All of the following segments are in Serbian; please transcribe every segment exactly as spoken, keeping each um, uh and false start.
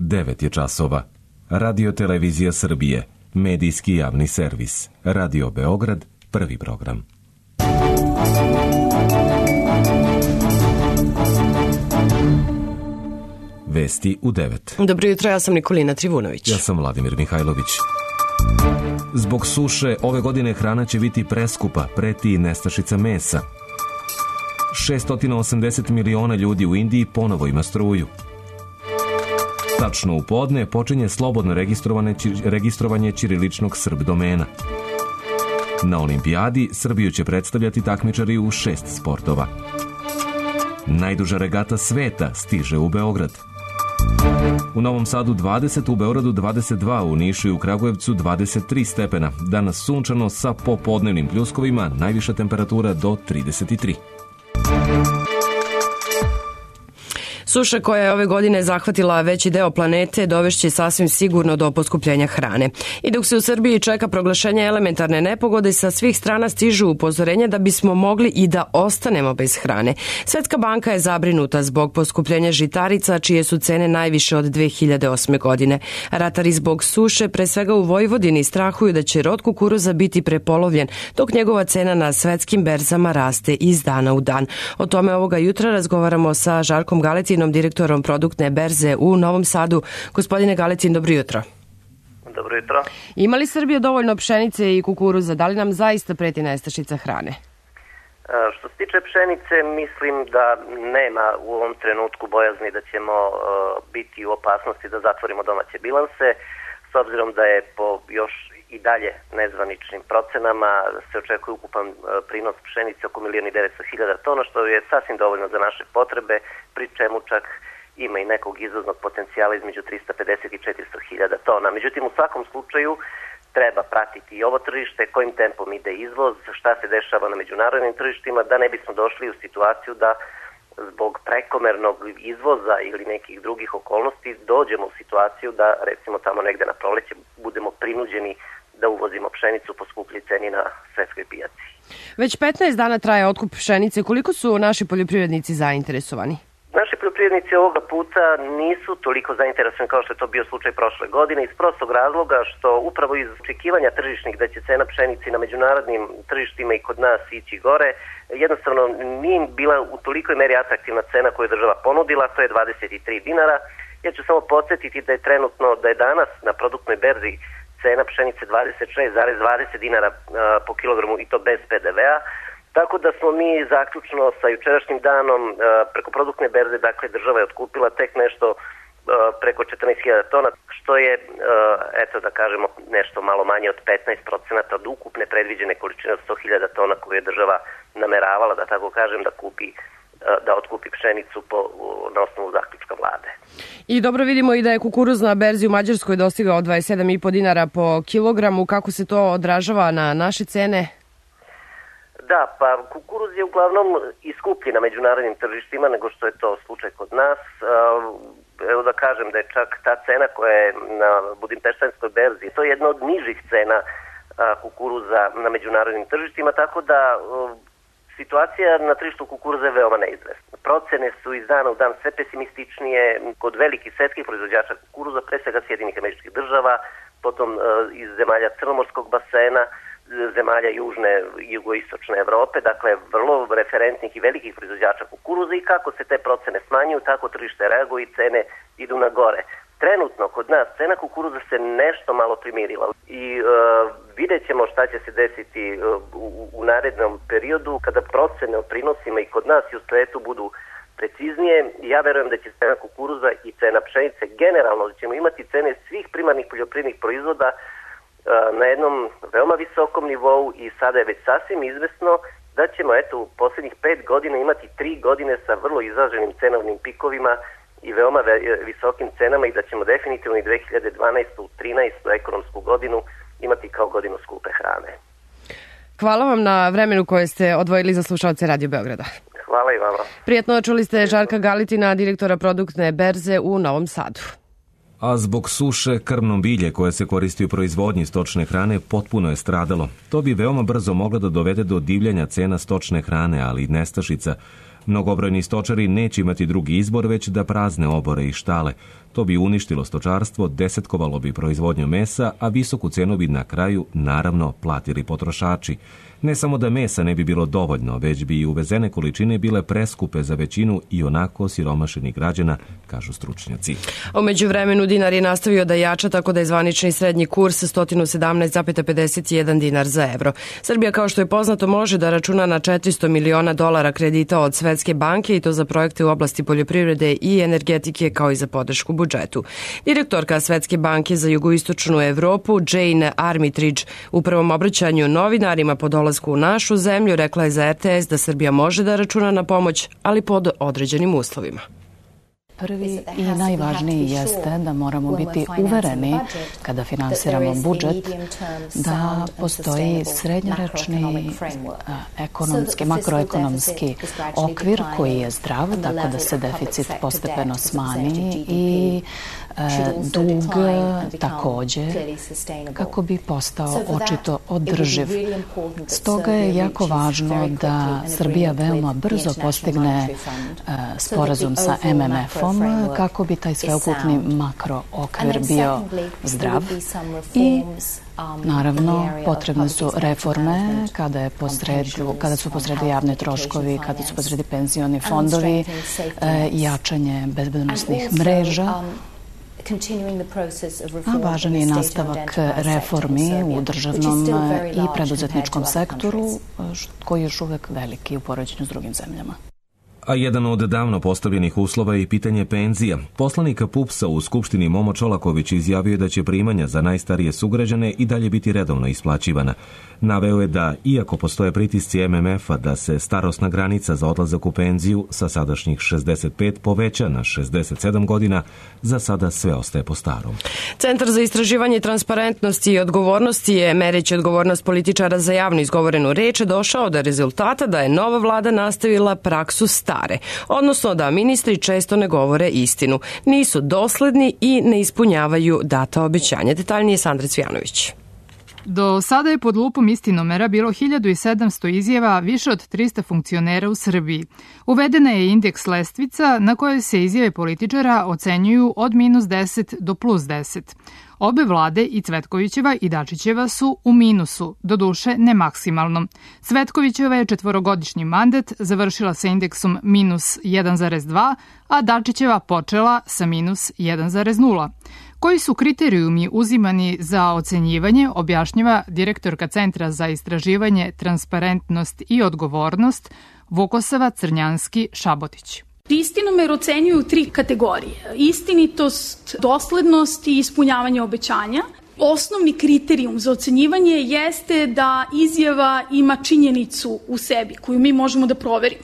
devet je časova. Radio Televizija Srbije, medijski javni servis. Radio Beograd, prvi program. Vesti u devet. Dobro jutro, ja sam Nikolina Trivunović. Ja sam Vladimir Mihajlović. Zbog suše ove godine hrana će biti preskupa, preti nestašica mesa. šesto osamdeset miliona ljudi u Indiji ponovo ima struju. Tačno u podne počinje slobodno registrovanje ćiriličnog Srb domena. Na olimpijadi Srbiju će predstavljati takmičari u šest sportova. Najduža regata sveta stiže u Beograd. U Novom Sadu dvadeset, u Beogradu dvadeset dva, u Nišu i u Kragujevcu dvadeset tri stepena. Danas sunčano sa popodnevnim pljuskovima, najviša temperatura do trideset tri. Suša koja je ove godine zahvatila veći deo planete dovešće sasvim sigurno do poskupljenja hrane. I dok se u Srbiji čeka proglašenje elementarne nepogode, sa svih strana stižu upozorenja da bismo mogli i da ostanemo bez hrane. Svetska banka je zabrinuta zbog poskupljenja žitarica, čije su cene najviše od dve hiljade osme. godine. Ratari zbog suše, pre svega u Vojvodini, strahuju da će rod kukuruza biti prepolovljen, dok njegova cena na svetskim berzama raste iz dana u dan. O tome ovoga jutra razgovaramo sa Žarkom Galetinom, direktorom produktne berze u Novom Sadu. Gospodine Galetin, dobro jutro. Dobro jutro. Ima li Srbija dovoljno pšenice i kukuruza? Da li nam zaista preti nestašica hrane? Što se tiče pšenice, mislim da nema u ovom trenutku bojazni da ćemo biti u opasnosti da zatvorimo domaće bilanse, s obzirom da je po još i dalje nezvaničnim procenama se očekuje ukupan prinos pšenice oko milion i devetsto hiljada tona, što je sasvim dovoljno za naše potrebe, pri čemu čak ima i nekog izvoznog potencijala između trista pedeset i četiristo hiljada tona. Međutim, u svakom slučaju treba pratiti i ovo tržište, kojim tempom ide izvoz, šta se dešava na međunarodnim tržištima, da ne bismo došli u situaciju da zbog prekomernog izvoza ili nekih drugih okolnosti dođemo u situaciju da recimo tamo negde na proleće budemo prinuđeni da uvozimo pšenicu po skuplji ceni na svetskoj pijaci. Već petnaest dana traje otkup pšenice. Koliko su naši poljoprivrednici zainteresovani? Naši poljoprivrednici ovoga puta nisu toliko zainteresovani kao što je to bio slučaj prošle godine, iz prostog razloga što upravo iz očekivanja tržišnih da će cena pšenice na međunarodnim tržištima i kod nas ići gore, jednostavno nije bila u tolikoj meri atraktivna cena koju je država ponudila, to je dvadeset tri dinara. Ja ću samo podsjetiti da je trenutno, da je danas na produktnoj berzi cena pšenice dvadeset šest zarez dvadeset dinara po kilogramu i to bez pe de ve a. Tako da smo mi zaključno sa jučerašnjim danom preko produktne berze, dakle država je otkupila tek nešto preko četrnaest hiljada tona, što je, eto da kažemo, nešto malo manje od petnaest procenata od ukupne predviđene količine od sto hiljada tona koju je država nameravala, da tako kažem, da kupi da otkupi pšenicu po, na osnovu zaključka vlade. I dobro vidimo i da je kukuruz na berzi u Mađarskoj dostigao dvadeset sedam i po dinara po kilogramu. Kako se to odražava na naše cene? Da, pa kukuruz je uglavnom iskuplji na međunarodnim tržištima nego što je to slučaj kod nas. Evo da kažem da je čak ta cena koja je na budimpeštanskoj berzi, to je jedna od nižih cena kukuruza na međunarodnim tržištima, tako da situacija na tržištu kukuruza je veoma neizvesna. Procene su iz dana u dan sve pesimističnije kod velikih svetskih proizvođača kukuruza, pre svega Sjedinjenih Američkih Država, potom iz zemalja Crnomorskog basena, zemalja južne i jugoistočne Evrope, dakle vrlo referentnih i velikih proizvođača kukuruza, i kako se te procene smanjuju, tako tržište reaguje i cene idu na gore. Trenutno kod nas cena kukuruza se nešto malo primirila i uh, vidjet ćemo šta će se desiti uh, u, u narednom periodu kada procene o prinosima i kod nas i u svetu budu preciznije. Ja verujem da će cena kukuruza i cena pšenice generalno, da ćemo imati cene svih primarnih poljoprivrednih proizvoda uh, na jednom veoma visokom nivou, i sada je već sasvim izvesno da ćemo eto u posljednjih pet godina imati tri godine sa vrlo izraženim cenovnim pikovima i veoma visokim cenama, i da ćemo definitivno i dve hiljade dvanaestu trinaestu ekonomsku godinu imati kao godinu skupe hrane. Hvala vam na vremenu koje ste odvojili za slušalce Radio Beograda. Hvala i vama. Prijetno, čuli ste Žarka Galitina, direktora produktne berze u Novom Sadu. A zbog suše krmno bilje koje se koristi u proizvodnji stočne hrane potpuno je stradalo. To bi veoma brzo moglo da dovede do divljanja cena stočne hrane, ali i nestašica. Mnogobrojni stočari neće imati drugi izbor već da prazne obore i štale. To bi uništilo stočarstvo, desetkovalo bi proizvodnju mesa, a visoku cenu bi na kraju, naravno, platili potrošači. Ne samo da mesa ne bi bilo dovoljno, već bi i uvezene količine bile preskupe za većinu i onako siromašenih građana, kažu stručnjaci. U međuvremenu dinar je nastavio da jača, tako da je zvanični srednji kurs sto sedamnaest zarez pedeset jedan dinar za evro. Srbija, kao što je poznato, može da računa na četiristo miliona dolara kredita od Svetske banke i to za projekte u oblasti poljoprivrede i energetike, kao i za podršku budžetu. Direktorka Svetske banke za jugoistočnu Evropu, Jane Armitage, u prvom obraćanju novinarima po dolasku u našu zemlju rekla je za R T S da Srbija može da računa na pomoć, ali pod određenim uslovima. Prvi i najvažniji jeste da moramo biti uvereni kada finansiramo budžet da postoji srednjoročni ekonomski, makroekonomski okvir koji je zdrav, tako da se deficit postepeno smanji i dug takođe, kako bi postao očito održiv. Stoga je jako važno da Srbija veoma brzo postigne sporazum sa M M F-om kako bi taj sveukupni makrookvir bio zdrav i naravno potrebne su reforme kada, je posredu, kada su posredu javne troškovi, kada su posredu penzioni fondovi, jačanje bezbednosnih mreža, a važan je nastavak reformi u državnom i preduzetničkom sektoru koji je još uvek veliki u poređenju s drugim zemljama. A jedan od davno postavljenih uslova je i pitanje penzija. Poslanika P U P S-a u Skupštini Momo Čolaković izjavio da će primanja za najstarije sugrađane i dalje biti redovno isplaćivana. Naveo je da, iako postoje pritisci M M F-a da se starosna granica za odlazak u penziju sa sadašnjih šezdeset pet poveća na šezdeset sedam godina, za sada sve ostaje po starom. Centar za istraživanje transparentnosti i odgovornosti je, mereći odgovornost političara za javno izgovorenu reč, došao do rezultata da je nova vlada nastavila praksu stare, odnosno da ministri često ne govore istinu, nisu dosledni i ne ispunjavaju data obećanja. Detaljnije Sandra Cvijanović. Do sada je pod lupom Istinomera bilo hiljadu sedamsto izjava više od trista funkcionera u Srbiji. Uvedena je indeks lestvica na kojoj se izjave političara ocenjuju od minus deset do plus deset. Obe vlade, i Cvetkovićeva i Dačićeva, su u minusu, doduše ne maksimalno. Cvetkovićeva je četvorogodišnji mandat završila sa indeksom minus jedan zarez dva, a Dačićeva počela sa minus jedan zarez nula. Koji su kriterijumi uzimani za ocenjivanje, objašnjava direktorka Centra za istraživanje, transparentnost i odgovornost Vukosava Crnjanski-Šabotić. Istinomer ocenjuju tri kategorije. Istinitost, doslednost i ispunjavanje obećanja. Osnovni kriterijum za ocenjivanje jeste da izjava ima činjenicu u sebi koju mi možemo da proverimo.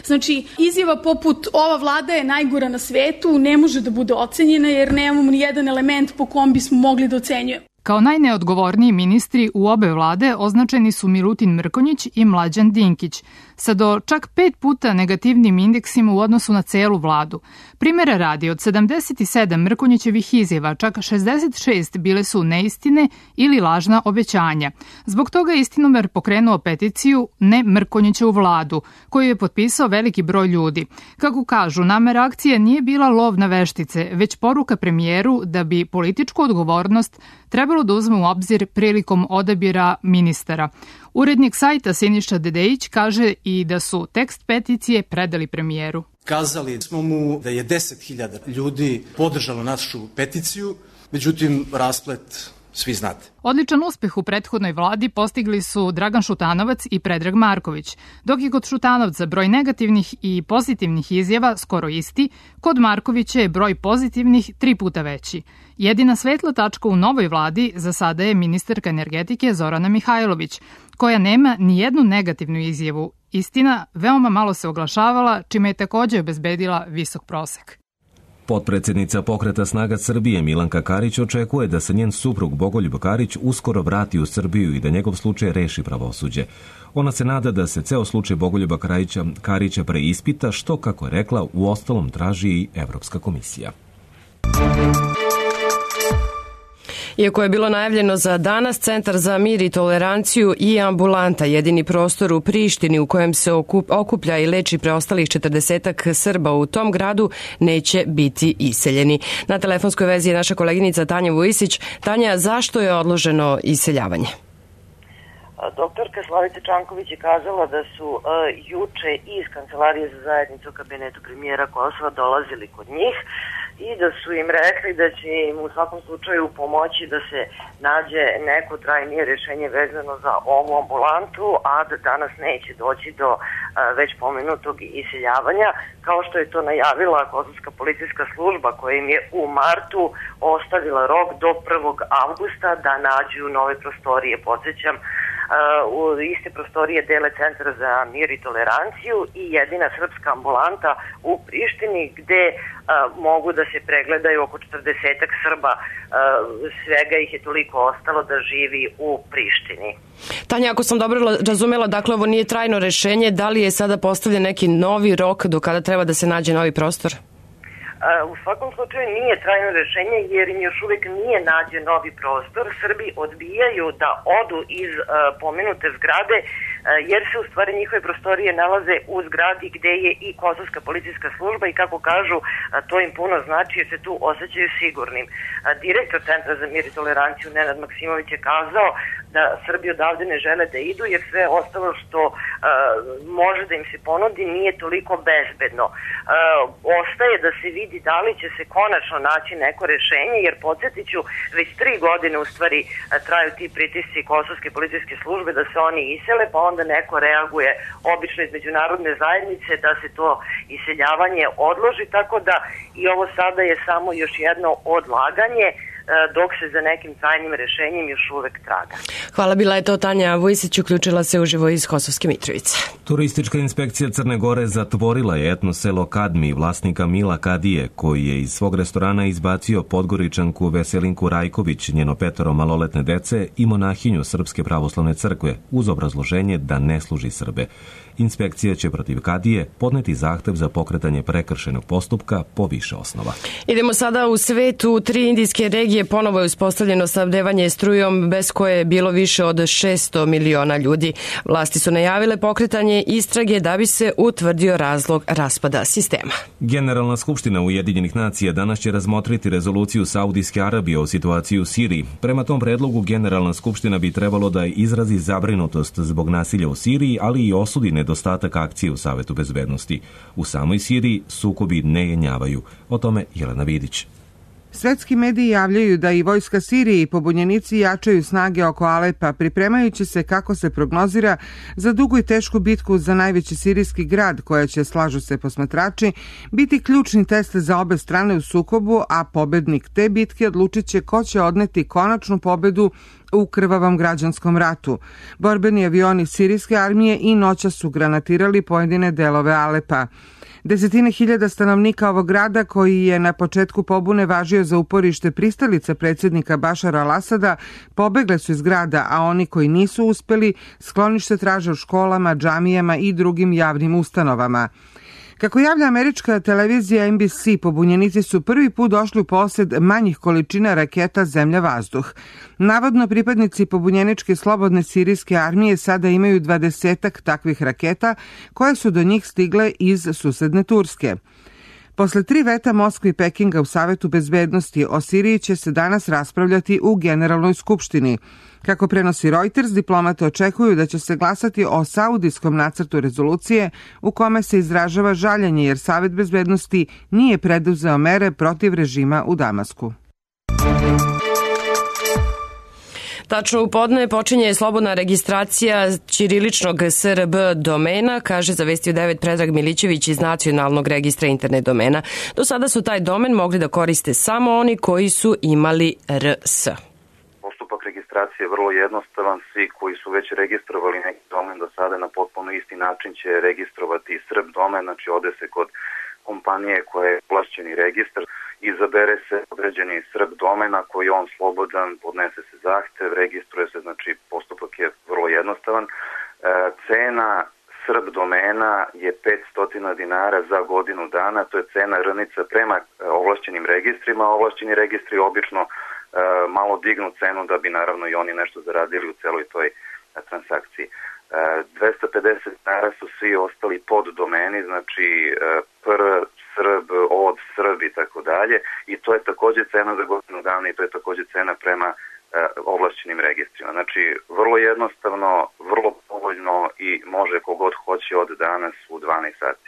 Znači, izjava poput ova vlada je najgora na svetu ne može da bude ocenjena jer nemamo ni jedan element po kom bismo mogli da ocenjujemo. Kao najneodgovorniji ministri u obe vlade označeni su Milutin Mrkonjić i Mlađan Dinkić, sa do čak pet puta negativnim indeksima u odnosu na celu vladu. Primera radi, od sedamdeset sedam Mrkonjićevih izjava, čak šezdeset šest bile su neistine ili lažna obećanja. Zbog toga je Istinomer pokrenuo peticiju Ne Mrkonjićevu vladu, koju je potpisao veliki broj ljudi. Kako kažu, namera akcije nije bila lov na veštice, već poruka premijeru da bi političku odgovornost trebalo da uzme u obzir prilikom odabira ministara. Urednik sajta Siniša Dedejić kaže i da su tekst peticije predali premijeru. Kazali smo mu da je deset hiljada ljudi podržalo našu peticiju, međutim rasplet svi znate. Odličan uspeh u prethodnoj vladi postigli su Dragan Šutanovac i Predrag Marković. Dok je kod Šutanovca broj negativnih i pozitivnih izjava skoro isti, kod Markovića je broj pozitivnih tri puta veći. Jedina svetla tačka u novoj vladi za sada je ministarka energetike Zorana Mihajlović, koja nema ni jednu negativnu izjavu. Istina, veoma malo se oglašavala, čime je takođe obezbedila visok prosek. Potpredsednica Pokreta snaga Srbije Milanka Karić očekuje da se njen suprug Bogoljub Karić uskoro vrati u Srbiju i da njegov slučaj reši pravosuđe. Ona se nada da se ceo slučaj Bogoljuba Karića, Karića preispita, što, kako je rekla, u ostalom traži i Evropska komisija. Iako je bilo najavljeno za danas, Centar za mir i toleranciju i ambulanta, jedini prostor u Prištini u kojem se okuplja i leči preostalih četrdesetak Srba u tom gradu, neće biti iseljeni. Na telefonskoj vezi je naša koleginica Tanja Vujisić. Tanja, zašto je odloženo iseljavanje? Doktorka Slavica Čanković je kazala da su uh, juče iz Kancelarije za zajednicu u kabinetu premijera Kosova dolazili kod njih i da su im rekli da će im u svakom slučaju pomoći da se nađe neko trajnije rješenje vezano za ovu ambulantu, a da danas neće doći do uh, već pomenutog iseljavanja, kao što je to najavila Kosovska policijska služba koja im je u martu ostavila rok do prvog avgusta da nađu nove prostorije. Podsjećam, u iste prostorije dele Centar za mir i toleranciju i jedina srpska ambulanta u Prištini gde a, mogu da se pregledaju oko četrdesetak Srba, a, svega ih je toliko ostalo da živi u Prištini. Tanja, ako sam dobro razumela, dakle ovo nije trajno rešenje, da li je sada postavljen neki novi rok do kada treba da se nađe novi prostor? U svakom slučaju nije trajno rešenje jer im još uvijek nije nađen novi prostor. Srbi odbijaju da odu iz uh, pomenute zgrade uh, jer se u stvari njihove prostorije nalaze u zgradi gde je i Kosovska policijska služba i kako kažu uh, to im puno znači jer se tu osjećaju sigurnim. Uh, direktor Centra za mir i toleranciju Nenad Maksimović je kazao da Srbi odavde ne žele da idu jer sve ostalo što uh, može da im se ponudi nije toliko bezbedno. Uh, ostaje da se vidi da li će se konačno naći neko rešenje, jer podsjetit ću, već tri godine u stvari traju ti pritisci Kosovske policijske službe da se oni isele, pa onda neko reaguje obično iz međunarodne zajednice da se to iseljavanje odloži, tako da i ovo sada je samo još jedno odlaganje dok se za nekim trajnim rešenjem još uvek traga. Hvala, bila je to Tanja Vujisić, uključila se uživo iz Kosovske Mitrovice. Turistička inspekcija Crne Gore zatvorila je etno selo Kadmi vlasnika Mila Kadije, koji je iz svog restorana izbacio Podgoričanku Veselinku Rajković, njeno petoro maloletne dece i monahinju Srpske pravoslavne crkve, uz obrazloženje da ne služi Srbe. Inspekcija će protiv Kadije podneti zahtev za pokretanje prekršajnog postupka po više osnova. Idemo sada u svet. U tri indijske regije ponovo je uspostavljeno snabdevanje strujom bez koje je bilo više od šesto miliona ljudi. Vlasti su najavile pokretanje istrage da bi se utvrdio razlog raspada sistema. Generalna skupština Ujedinjenih nacija danas će razmotriti rezoluciju Saudijske Arabije o situaciji u Siriji. Prema tom predlogu Generalna skupština bi trebalo da izrazi zabrinutost zbog nasilja u Siriji, ali i osudi nedostatak akcije u Savetu bezbednosti. U samoj Siriji sukobi ne jenjavaju. O tome Jelena Vidić. Svetski mediji javljaju da i vojska Sirije i pobunjenici jačaju snage oko Alepa, pripremajući se, kako se prognozira, za dugu i tešku bitku za najveći sirijski grad, koja će, slažu se posmatrači, biti ključni test za obe strane u sukobu, a pobednik te bitke odlučit će ko će odneti konačnu pobedu u krvavom građanskom ratu. Borbeni avioni sirijske armije i noća su granatirali pojedine delove Alepa. Desetine hiljada stanovnika ovog grada, koji je na početku pobune važio za uporište pristalica predsjednika Bašara al-Asada, pobegle su iz grada, a oni koji nisu uspeli sklonište traže u školama, džamijama i drugim javnim ustanovama. Kako javlja američka televizija N B C, pobunjenici su prvi put došli u posjed manjih količina raketa zemlja-vazduh. Navodno, pripadnici pobunjeničke slobodne sirijske armije sada imaju dvadesetak takvih raketa koje su do njih stigle iz susedne Turske. Posle tri veta Moskve i Pekinga u Savetu bezbednosti, o Siriji će se danas raspravljati u Generalnoj skupštini. Kako prenosi Reuters, diplomate očekuju da će se glasati o saudijskom nacrtu rezolucije u kome se izražava žaljenje jer Savet bezbednosti nije preduzeo mere protiv režima u Damasku. Tačno u podne počinje slobodna registracija ćiriličnog S R B domena, kaže za Vesti u devet Predrag Milićević iz Nacionalnog registra internet domena. Do sada su taj domen mogli da koriste samo oni koji su imali R S. Postupak registracije je vrlo jednostavan. Svi koji su već registrovali neki domen do sada na potpuno isti način će registrovati Srb domen, znači ode se kod kompanije koja je ovlašćeni registar, izabere se određeni Srb domen, ako je on slobodan, podnese se zahtev, registruje se, znači postupak je vrlo jednostavan. E, cena Srb domena je petsto dinara za godinu dana, to je cena rnica prema ovlašćenim registrima. Ovlašćeni registri obično malo dignu cenu da bi naravno i oni nešto zaradili u celoj toj transakciji. dvesta pedeset dinara su svi ostali pod domeni, znači pr, srb, od, srb i tako dalje, i to je takođe cena za godinu dana i to je takođe cena prema ovlašćenim registrima. Znači, vrlo jednostavno, vrlo povoljno i može kogod hoće od danas u dvanaest sati.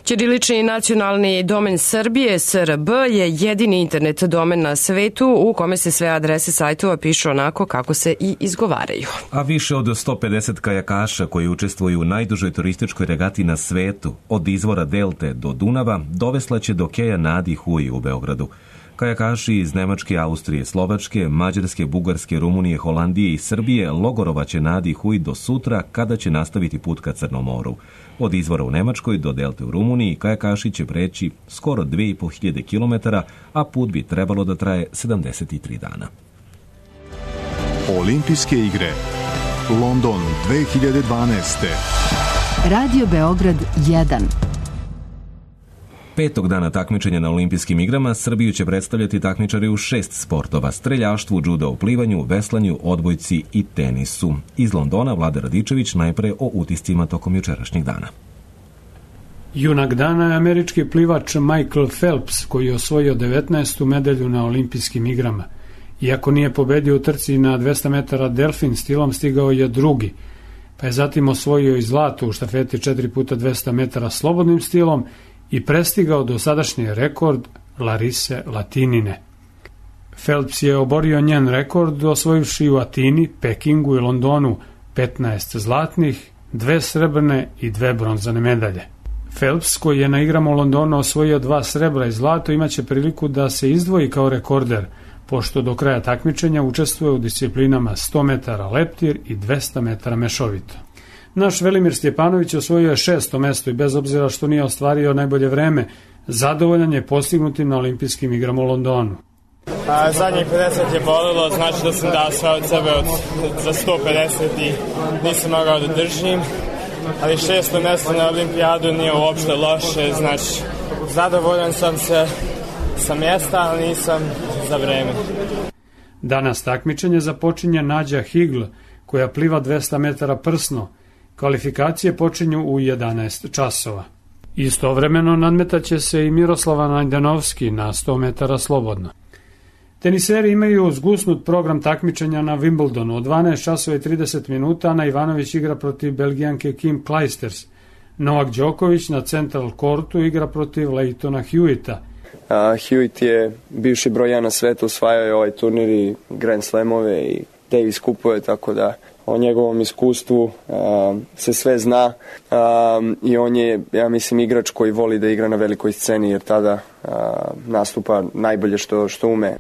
Ćirilični nacionalni domen Srbije, S R B, je jedini internet domen na svetu u kome se sve adrese sajtova pišu onako kako se i izgovaraju. A više od sto pedeset kajakaša koji učestvuju u najdužoj turističkoj regati na svetu, od izvora Delte do Dunava, dovesla će do keja Nadi Hui u Beogradu. Kajakaši iz Nemačke, Austrije, Slovačke, Mađarske, Bugarske, Rumunije, Holandije i Srbije logorovaće Nadi Hui do sutra kada će nastaviti put ka Crnom moru. Od izvora u Nemačkoj do Delte u Rumuniji kajakaši će preći skoro dve i po hiljade kilometara, a put bi trebalo da traje sedamdeset tri dana. Olimpijske igre London dve hiljade dvanaeste. Radio Beograd jedan. Petog dana takmičenja na olimpijskim igrama Srbiju će predstavljati takmičari u šest sportova: streljaštvu, džudo u plivanju, veslanju, odbojci i tenisu. Iz Londona Vlada Radičević najpre o utiscima tokom jučerašnjeg dana. Junak dana je američki plivač Michael Phelps, koji je osvojio devetnaestu medalju na olimpijskim igrama. Iako nije pobedio u trci na dvesta metara delfin stilom, stigao je drugi, pa je zatim osvojio i zlato u štafeti četiri puta dvesta metara slobodnim stilom i prestigao dosadašnji rekord Larise Latinine. Phelps je oborio njen rekord osvojivši u Atini, Pekingu i Londonu petnaest zlatnih, dve srebrne i dve bronzane medalje. Phelps, koji je na igrama u Londonu osvojio dva srebra i zlato, imaće priliku da se izdvoji kao rekorder, pošto do kraja takmičenja učestvuje u disciplinama sto metara leptir i dvesta metara mešovito. Naš Velimir Stjepanović osvojio je šesto mesto i bez obzira što nije ostvario najbolje vreme, zadovoljan je postignutim na olimpijskim igrama u Londonu. A, zadnjih pedeset je bolilo, znači da sam dao sve od sebe od, za sto pedeset i nisam mogao da držim, ali šesto mesto na olimpijadu nije uopšte loše, znači zadovoljan sam se sa mjesta, ali nisam za vreme. Danas takmičenje započinje Nađa Higl, koja pliva dvesta metara prsno. Kvalifikacije počinju u jedanaest časova. Istovremeno nadmetaće se i Miroslava Najdanovski na sto metara slobodno. Teniseri imaju zgusnut program takmičenja na Wimbledonu. Od dvanaest časova i trideset minuta Ana Ivanović igra protiv Belgijanke Kim Clijsters. Novak Đoković na Central Courtu igra protiv Leightona Hewita. Uh, Hewitt je bivši broj jedan na svetu, osvajao je ovaj turnir i Grand Slamove i Davis kupuje, tako da o njegovom iskustvu uh, se sve zna uh, i on je, ja mislim, igrač koji voli da igra na velikoj sceni jer tada uh, nastupa najbolje što, što ume.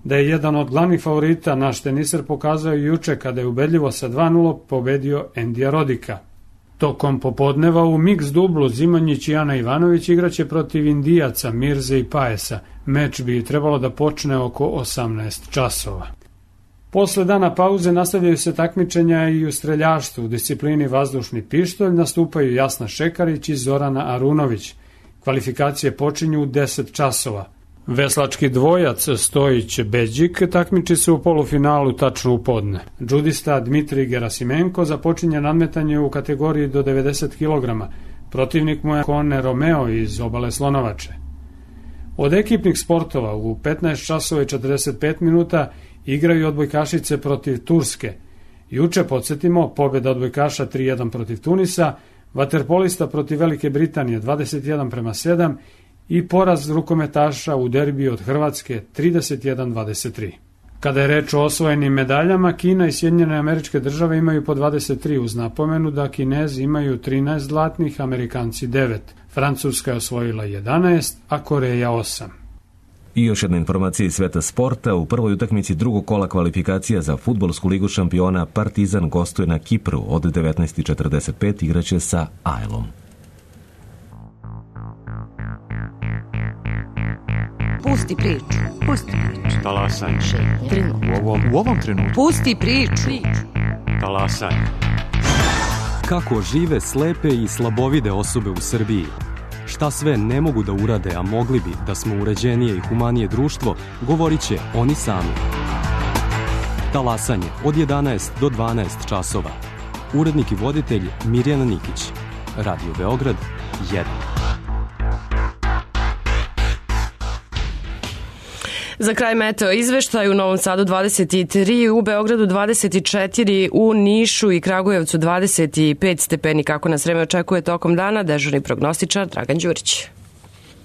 Da je jedan od glavnih favorita naš teniser pokazao juče kada je ubedljivo sa dva nula pobedio Endija Rodika. Tokom popodneva u mix dublu Zimonjić i Ana Ivanović igraće protiv Indijaca Mirze i Paesa. Meč bi trebalo da počne oko osamnaest časova. Posle dana pauze nastavljaju se takmičenja i u streljaštvu. U disciplini vazdušni pištolj nastupaju Jasna Šekarić i Zorana Arunović. Kvalifikacije počinju u deset časova. Veslački dvojac Stojić-Beđik takmiči se u polufinalu tačno u podne. Džudista Dmitrij Gerasimenko započinje nadmetanje u kategoriji do devedeset kilograma. Protivnik mu je Kone Romeo iz Obale Slonovače. Od ekipnih sportova u petnaest časova i četrdeset pet minuta igraju odbojkašice protiv Turske. Juče, podsjetimo, pobjeda odbojkaša tri jedan protiv Tunisa, vaterpolista protiv Velike Britanije dvadeset jedan prema sedam i poraz rukometaša u derbiju od Hrvatske trideset jedan dvadeset tri. Kada je reč o osvojenim medaljama, Kina i Sjedinjene Američke Države imaju po dvadeset tri, uz napomenu da Kinezi imaju trinaest zlatnih, Amerikanci devet. Francuska je osvojila jedanaest, a Koreja osam. I još jedna informacija iz sveta sporta. U prvoj utakmici drugog kola kvalifikacija za fudbalsku ligu šampiona Partizan gostuje na Kipru. Od devetnaest četrdeset pet igraće sa Ajlom. Pusti priču. Pusti priču. Talasaj. U ovom, u ovom trenutku. Pusti priču. Talasaj. Kako žive slepe i slabovide osobe u Srbiji? Šta sve ne mogu da urade, a mogli bi da smo uređenije i humanije društvo, govorit će oni sami. Talasanje od jedanaest do dvanaest časova. Urednik i voditelj Mirjana Nikić. Radio Beograd jedan. Za kraj meteo izveštaj: u Novom Sadu dvadeset tri, u Beogradu dvadeset četiri, u Nišu i Kragujevcu dvadeset pet stepeni. Kako nas vreme očekuje tokom dana, dežurni prognostičar Dragan Đurić.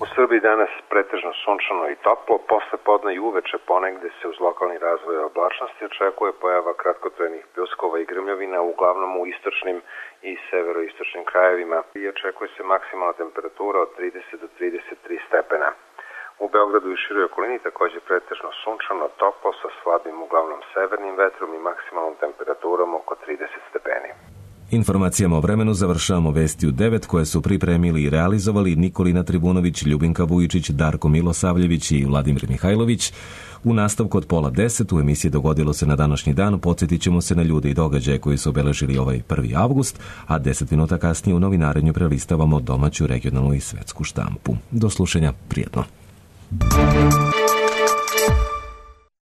U Srbiji danas pretežno sunčano i toplo, posle podne i uveče ponegde se uz lokalni razvoj oblačnosti očekuje pojava kratkotrajnih pljuskova i grmljavina, uglavnom u istočnim i severoistočnim krajevima, i očekuje se maksimalna temperatura od trideset do trideset tri stepena. U Beogradu i široj okolini takođe pretežno sunčano, toplo sa slabim uglavnom severnim vetrom i maksimalnom temperaturom oko trideset stepeni. Informacijama o vremenu završavamo vesti u devet koje su pripremili i realizovali Nikolina Tribunović, Ljubinka Vujičić, Darko Milosavljević i Vladimir Mihajlović. U nastavku od pola deset u emisiji Dogodilo se na današnji dan podsjetit ćemo se na ljude i događaje koji su obeležili ovaj prvi avgust, a deset minuta kasnije u novinarenju prelistavamo domaću, regionalnu i svetsku štampu. Do slušanja, prijetno.